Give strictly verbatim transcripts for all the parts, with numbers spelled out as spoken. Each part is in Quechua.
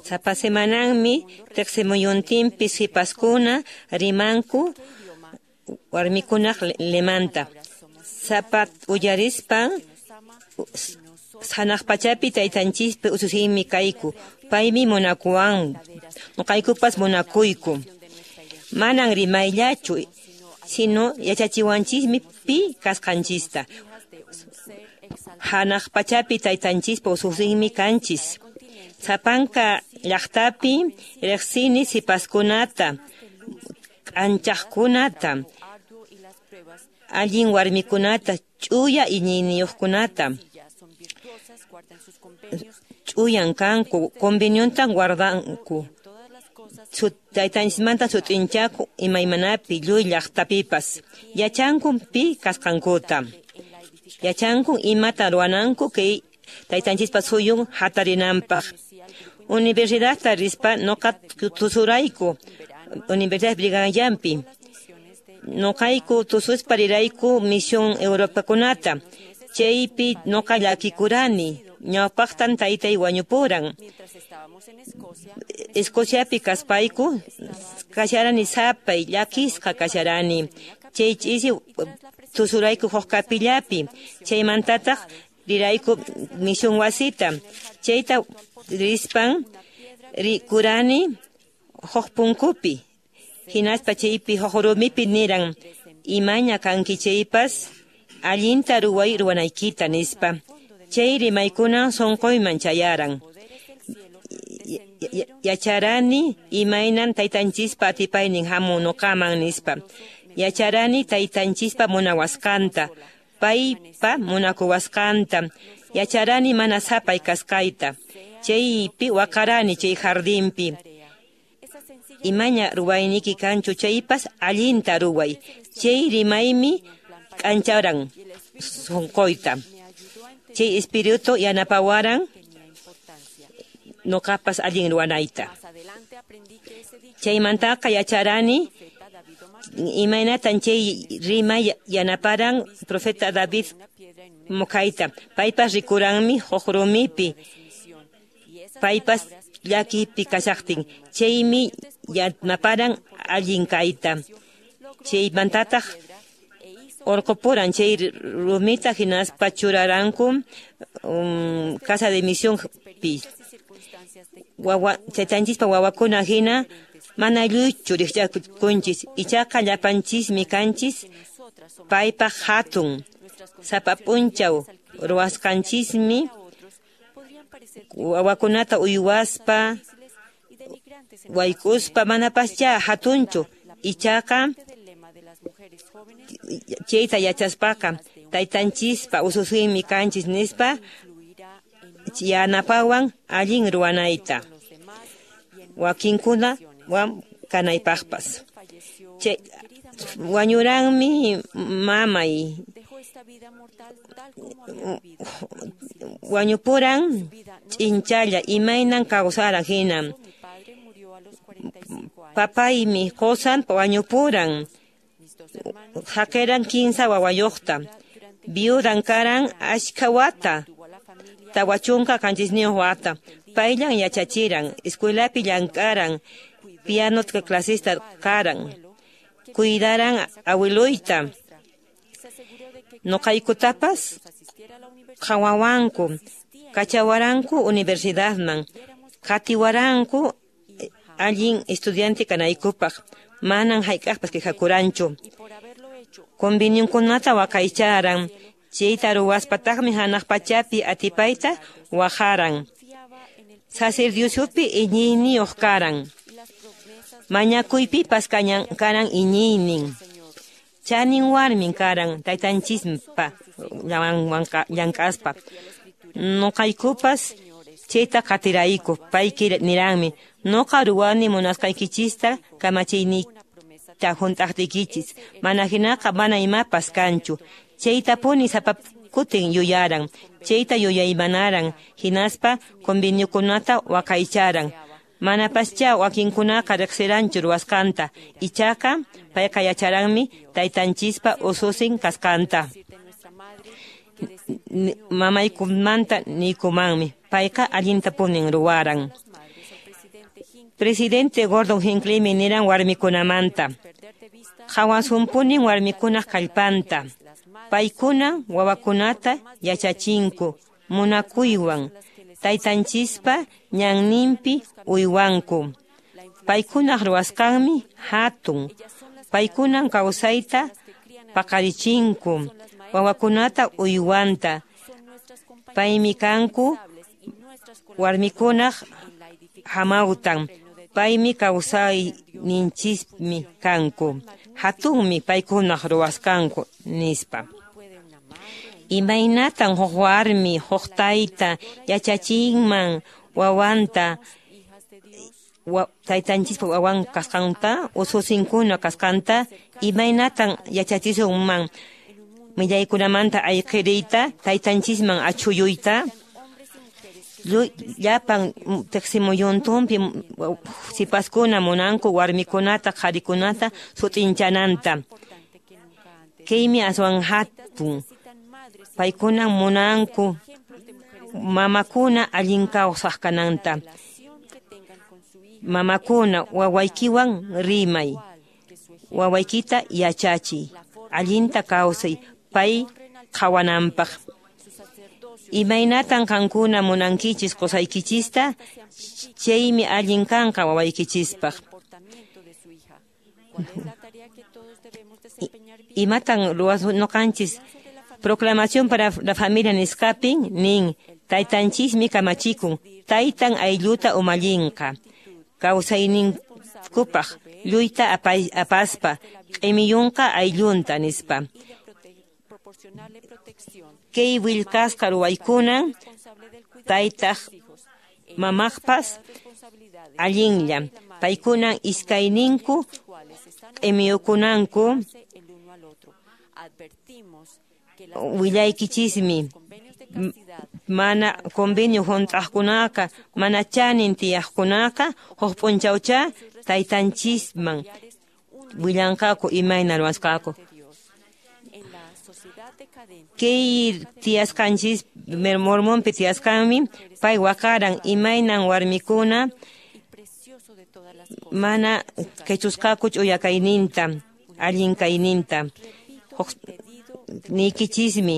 Sapa semananmi tiqsimuyuntinpi sipaskuna rimanku warmikunaq lemanta. Sapa uyarispan hanaq pachapi taytanchispi ususinmi kayku. Paymi munakuwan, nuqaykupas munakuyku. Manan rimayllachu, sino yachachiwanchismi pi kasqanchista. Hanaq pachapi taytanchispa ususinmi kanchis. Sapanka llaqtapi riqsini sipaskunata, k'anchaqkunata, allin warmikunata, ch'uya iñiyniyuqkunata. Ch'uyan kanku, conveniontan guardanku. Taytanchismanta sut'inchaku imaymanapi lluy llaqtapipas. Yachankun pi kasqankuta. Yachankun imata ruwananku kay taytanchispa suyun hatarinanpaq. Universidadta rispa nuqa tusurayku Universidad Brigham. Nuqayku tususpa rirayku misión Europakunata. Chaypi nuqa llakikurani. Ñawpaqtan taytay wañupuran. Escociapi kaspayku kasharani sapay llakisqa kasharani. Chay ch'isi tusurayku huk kapillapi. Chaymantataq rirayku misión wasita. Chayta rispan rikurani huk punkupi. Hinaspa chaypi huk rumipi niran imaña kanki chaypas allinta ruway ruwanaykita nispa. Chay rimaykuna sunquyman chayaran. Yacharani imaynan taytanchispa atipaynin hamun nuqaman nispa. Yacharani taytanchispa munawasqanta, paypa munakuwasqanta. Yacharani mana sapay kasqayta. Chaypi waqarani chay jardinpi. Imaña ruwayniki kanchu chaypas allinta ruway. Chay rimaymi k'ancharan sunquyta. Chay espíritu yanapawaran nuqapas allin ruwanayta. Chaymantaqa yacharani imaynatan chay rimay yanaparan profeta David Mukayta. Paypas rikuranmi huk rumipi. Paypas llakipi kashaqtin. Chaymi yanaparan allin kayta. Chaymantataq orqupuran chay rumita hinaspa churaranku um, casa de misión pi. Wawa chaytanchispa wawakuna hina mana lluychu riqchakunchis ichaqa llapanchismi kanchis paypaq hatun. Sapa p'unchaw ruwasqanchismi wawakunata uywaspa wayk'uspa manapaschá hatunchu ichaqa chayta yachaspaqa taytanchispa ususinmi kanchis nispa yanapawan allin ruwanayta. Wakinkuna wan kanaypaqpas. Chay wañuranmi mamay. Wañupuran ch'inchalla imaynan kawsaran hina. Papaymi qusan wañupuran. Haqiran kinsa wawayuqta. Viudan karan achka wata. Tawa chunka qanchisniyuq wata. Payllan yachachiran, escuelapi llank'aran, piano clasista karan. Cuidaran awiluyta. Nuqaykutapas qhawawanku, kachawaranku universidadman, qatiwaranku allin estudiante kanaykupaq. Manan hayk'aqpas quejakuranchu. Convenionkunata waqaycharan, chayta ruwaspataqmi hanaq pachapi atipayta waqaran. Sacerdociopi iñiyniyuq karan. Mañakuypipas karan iñiynin. Chanin warmin karan taytanchispa llank'aspa. Nuqaykupas chayta qatirayku. Payki niranmi, nuqa ruwani munasqaykichista kamachiyniyta hunt'aqtiykichis. Mana hinaqa mana imapas kanchu. Chaytapuni sapa kutin yuyaran. Chayta yuyaymanaran. Hinaspa conveniokunata waqaycharan. Manapaschá wakinkunaqa riqsiranchu ruwasqanta. Ichaqa payqa yacharanmi taytanchispa ususin kasqanta. Mamaykumanta niykumanmi. Payqa allintapunin ruwaran. Presidente Gordon Hinckleymi niran warmikunamanta. Qhawasunpunin warmikunaq kallpanta. Paykuna wawakunata yachachinku munakuywan taytanchispa ñanninpi uywanku. Paykunaq ruwasqanmi hatun. Paykunan kawsayta paqarichinku wawakunata uywanta. Paymi kanku warmikunaq hamawtan. Paymi kawsayninchismi kanku. Hatunmi paykunaq ruwasqanku nispa. Imaynatan huk warmi huk tayta yachachinman wawanta wa, taytanchispa wawan kasqanta ususinkuna kasqanta imaynatan yachachisunman millaykunamanta ayqiriyta taytanchisman achhuyuyta llapan tiqsimuyuntunpi sipaskuna munanku warmikunata qharikunata sut'inchananta. Kaymi aswan hatun. Paykuna munanku mamakuna allin kawsaq kananta. Mamakuna wawaykiwan rimay. Wawaykita yachachiy. Allinta kawsay pay qhawananpaq. Imaynatan qankuna munankichis qusaykichista, chaymi allin kanqa wawaykichispaq. Imatan ruwasnoqanchis Proclamación para la familia nisqapin nin taytanchismi kamachikun taytan aylluta umallinqa kawsayninkupaq lluyta apaspa q'imiyunqa ayllunta nispa. Kay willkasqa ruwaykunan taytaq mamaqpas allinlla paykunan iskayninku q'imiyukunanku willaykichismi mana convenio hunt'aqkunaqa mana chanin tiyaqkunaqa huk p'unchawcha taytanchisman willanqaku imayna ruwasqaku. Kay tiyasqanchis Mormonpi tiyasqanmi pay waqaran imaynan warmikuna mana qichusqaku ch'uya kayninta allin kayninta. Niykichismi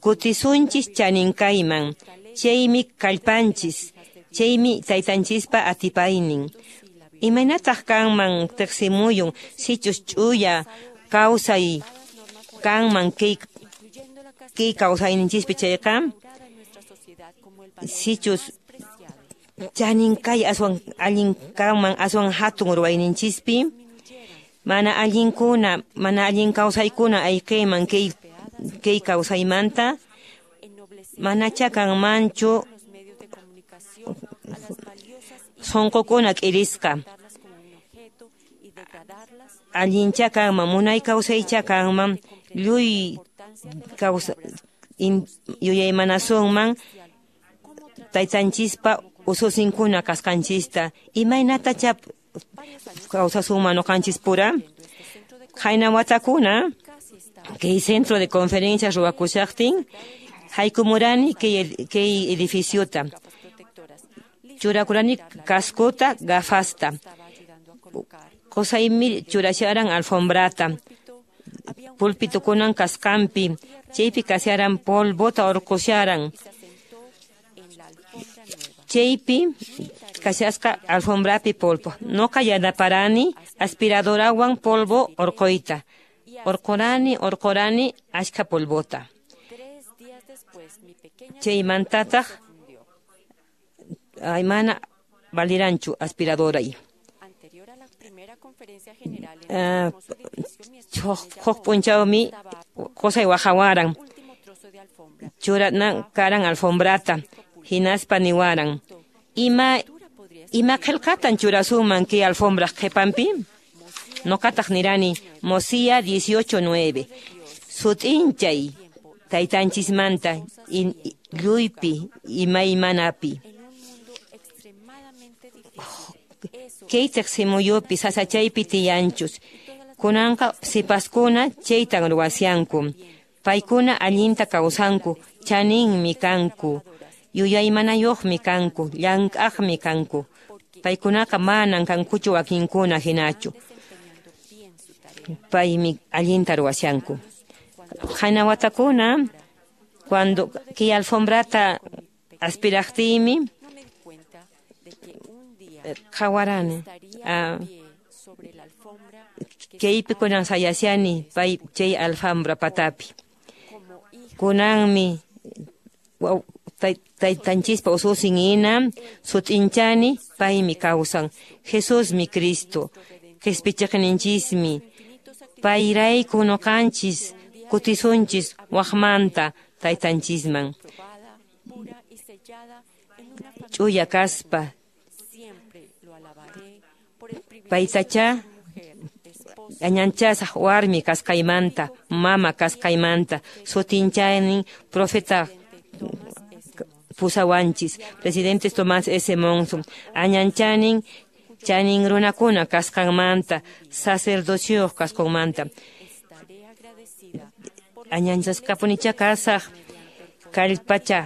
kutisunchis chaninkayman chaymi kallpanchis chaymi taytanchispa atipaynin. Imaynataq kanman tiqsimuyun sichus ch'uya kawsay kanman kay kay kawsayninchispi chayqa sichus chaninkay aswan allin kanman aswan hatun ruwayninchispi mana allinkuna mana allin kawsaykuna ayqiyman kay kay kawsaymanta manacha kanmanchu sunqukuna k'irisqa allincha kanman munay kawsaycha kanman lluy kawsa yuyaymanasunman taytanchispa ususinkuna kasqanchista imaynatacha kawsasunman nuqanchispura. Qayna watakuna kay centro de conferencias ruwakushaqtin haykumurani kay kay edificiota churakurani cascota gafasta qusaymi churasharan alfombrata pulpitukunan kasqanpi chaypi kasharan polvota urqusharan chaypi kashasqa alfombrapi polvo. Noqa yanaparani aspiradorawan polvo urquyta. Urqurani urqurani achka polvota. Chaymantataq ay mana valiranchu aspiradoray. Huk p'unchawmi qusay waqawaran churanan karan alfombrata hinaspa niwaran ima ima qillqatan churasunman kay alfombraq qhipanpi. Noqataq nirani Mosía dieciocho nueve sut'inchay taytanchismanta lluypi imaymanapi. Kay tiqsimuyupi sasachaypi tiyanchus kunanqa sipaskuna chaytan ruwasyanku paykuna allinta kawsanku chaninmi kanku yuyaymanayuqmi kanku llank'aqmi kanku Paykunaqa manan kankuchu wakinkuna hinachu. Paymi allinta ruwashanku. Qayna watakuna cuando kay alfombrata aspiraqtiymi qhawarani. Ah, kaypi kunan sayashani pay chay alfombra patapi. Kunanmi taytanchispa ususin hina sut'inchani paymi kawsan. Jesusmi Cristo. Qhispichiqninchismi. Payrayku nuqanchis kutisunchis waqmanta taytanchisman. Ch'uya kaspa paytacha añanchasaq warmi kasqaymanta, mama kasqaymanta, sutinchaynin profeta pusawanchis, presidente Tomás S. Monson, añanchanin chanin runakuna kasqanmanta, sacerdocioq kasqanmanta. Añanchasqapunicha kasaq kallpacha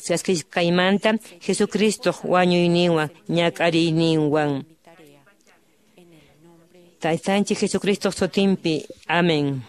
chaskisqaymanta Jesucristoq wañuyninwan ñak'ariyninwan. Taytanchik Jesucristoq sutinpi. Amén.